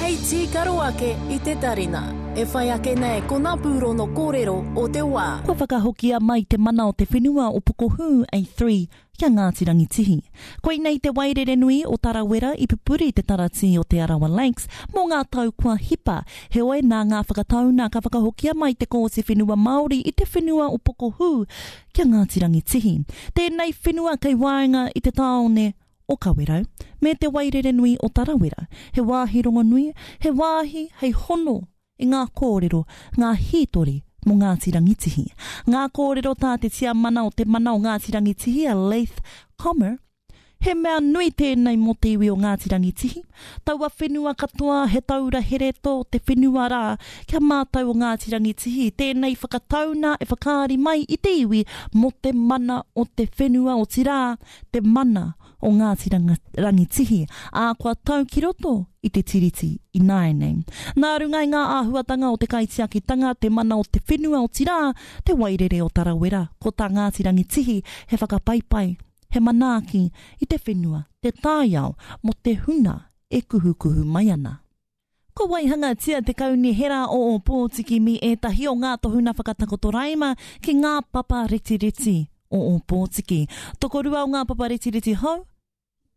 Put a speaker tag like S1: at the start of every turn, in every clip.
S1: Hei tīkaro ake i te tarina. E whai ake nei ko ngā pūrono kōrero o te wā.
S2: Kua whakahokia mai te mana o te whenua o Pokohū A3 ki a Ngāti Rangitihi. Koinei te wairere nui o Tarawera i pupuri te taratī o Te Arawa Lakes mō ngā tau kua hipa, heoi nā ngā whakatauna ka whakahokia mai te Kōti Whenua Māori i te whenua o Pokohū ki a Ngāti Rangitihi. Tēnei whenua kei waenga i te tāone o Kawerau, me te Wairerenui o Tarawera, he wāhi rongonui, he wāhi hei hono i ngā kōrero, ngā hītori mō Ngāti Rangitihi. Ngā kōrero tā te tiamana o Te Mana o Ngāti Rangitihi a Leith Comer, He mea nui tēnei mō te iwi o Ngāti Rangitihi, taua whenua katoa he taura here tō te whenua rā kia mātau o Ngāti Rangitihi, tēnei whakatauna e whakaari mai i te iwi mō te mana o te whenua otirā, te mana o Ngāti Rangitihi, ā, kua tau ki roto i te Tiriti ināianei. Nā runga i ngā āhuatanga o te kaitiakitanga, te mana o te whenua otirā, te wairere o Tarawera, ko tā Ngāti Rangitihi he whakapaipai, he manaaki i te whenua, te taiao mō te huna e kuhukuhu mai ana. Kua waihangatia te Kaunihera o Ōpōtiki me ētahi o ngā tohuna whakatakoto raima ki ngā papa retireti o Ōpōtiki. Tokorua o ngā papa retireti hou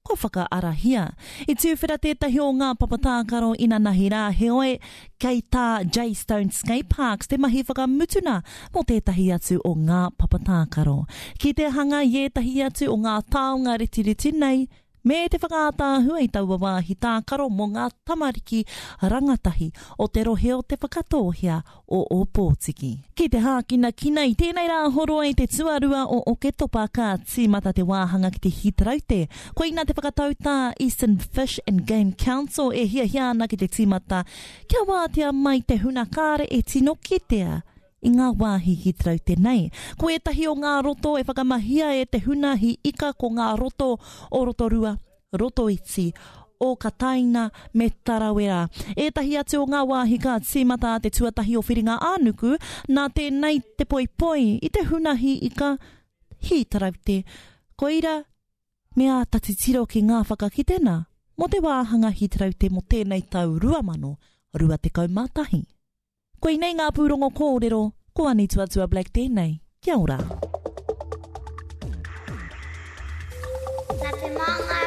S2: kua whakaarahia. I tūwhera tētahi o ngā papa tākaro inanahi rā, heoi, kei tā Jaystone Skate Parks te mahi whakamutuna mō tētahi atu o ngā papa tākaro. Ki te hanga i ētahi atu o ngā taonga retireti nei, Me te whakaātaahua i taua wāhi tākaro mō ngā tamariki rangatahi o te rohe o Te Whakatōhea o Ōpōtiki. Ki te hākinakina i tēnei Rāhoroi te tuarua o Oketopa ka tīmata te wāhanga ki te hītaraute. Koina te whakatau tā Eastern Fish and Game Council e hiahia ana ki te tīmata kia wātea mai te huna kāre e tino kitea i ngā wāhi hītaraute nei. Ko ētahi o ngā roto e whakamahia e te huna hī ika ko ngā roto o Rotorua, Rotoiti, o Kataina me Tarawera. Ētahi atu o ngā wāhi ka tīmata te tuatahi o Whiringa-ā-nuku, nā tēnei te poipoi i te huna hī ika hītaraute. Koira me āta titiro ki ngā whakakitena mō te wāhanga hītaraute mō tēnei tau 2021. Koinei ngā pūrongo kōrero, ko Ani Tuatua Black tēnei, kia ora.
S3: Nā Te Māngai.